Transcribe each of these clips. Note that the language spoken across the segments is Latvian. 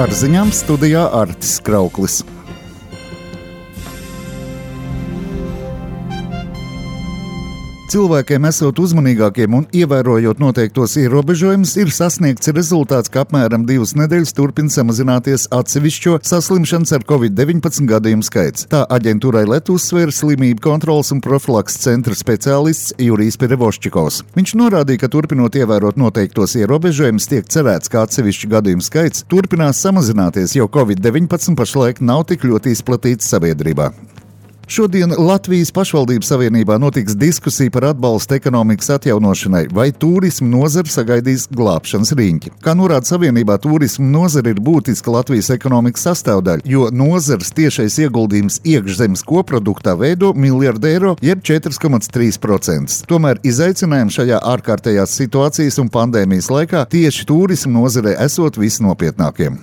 Ar ziņām studijā Artis Krauklis. Cilvēkiem esot uzmanīgākiem un ievērojot noteiktos ierobežojumus, ir sasniegts rezultāts, ka apmēram 2 nedēļas turpina samazināties atsevišķo saslimšanas ar COVID-19 gadījumu skaits. Tā aģentūrai LET uzsvēra slimību kontroles un profilakses centra speciālists Jurijs Perevoščikovs. Viņš norādīja, ka turpinot ievērot noteiktos ierobežojumus, tiek cerēts, ka atsevišķu gadījumu skaits turpinās samazināties, jo COVID-19 pašlaik nav tik ļoti izplatīts sabiedrībā. Šodien Latvijas pašvaldības savienībā notiks diskusija par atbalstu ekonomikas atjaunošanai, vai turismu nozara sagaidīs glābšanas riņķi. Kā norāda savienībā, turismu nozara ir būtiska Latvijas ekonomikas sastāvdaļa, jo nozares tiešais ieguldījums iekšzemes koproduktā veido $1 miljardu, jeb 4,3%. Tomēr izaicinājumi šajā ārkārtējās situācijas un pandēmijas laikā tieši turismu nozarē esot visnopietnākiem.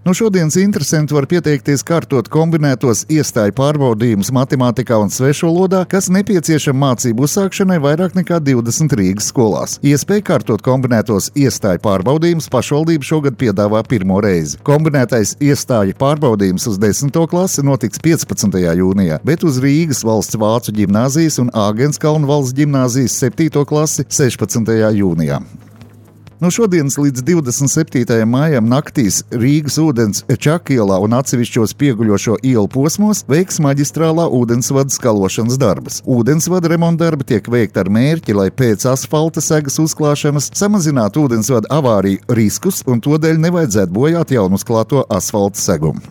No šodienas interesanti var pieteikties kārtot kombinētos iestāju pārbaudījumus matemātikā un svešvalodā, kas nepieciešama mācību uzsākšanai vairāk nekā 20 Rīgas skolās. Iespēja kārtot kombinētos iestāju pārbaudījumus pašvaldība šogad piedāvā pirmo reizi. Kombinētais iestāju pārbaudījums uz 10. klasi notiks 15. jūnijā, bet uz Rīgas valsts vācu ģimnāzijas un Āgenskalnu valsts ģimnāzijas 7. klasi 16. jūnijā. No šodienas līdz 27. maijam naktīs Rīgas ūdens Čakielā un atsevišķos pieguļošo ielu posmos veiks maģistrālā ūdensvada skalošanas darbus. Ūdensvada remontdarbi tiek veikti ar mērķi, lai pēc asfalta segas uzklāšanas samazinātu ūdensvada avāriju riskus un todēļ nevajadzētu bojāt jaunu uzklāto asfalta segumu.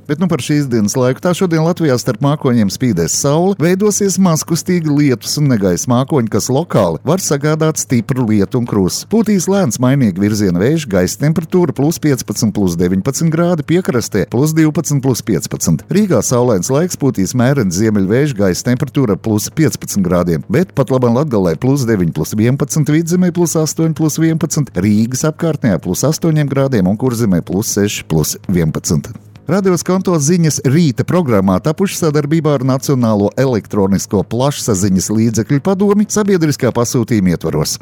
Bet par šīs dienas laiku tā šodien Latvijā starp mākoņiem spīdēs saule, veidosies mazkustīgi lietus un negaisa mākoņi, kas lokāli var sagādāt stipru lietu un krustu. Pūtīs lēns mainīgi virziena vējš, gaisa temperatūra +15, +19 grādi, piekrastē +12, +15. Rīgā saulains laiks, pūtīs mērens ziemeļvējš, gaisa temperatūra +15 grādiem, bet pat labam Latgalē +9, +11, Vidzemē +8, +11, Rīgas apkārtnē +8 grādiem un Kurzemē +6, +11. Radio Skonto ziņas rīta programmā tapuši sadarbībā ar Nacionālo elektronisko plašsaziņas līdzekļu padomi sabiedriskā pasūtījuma ietvaros.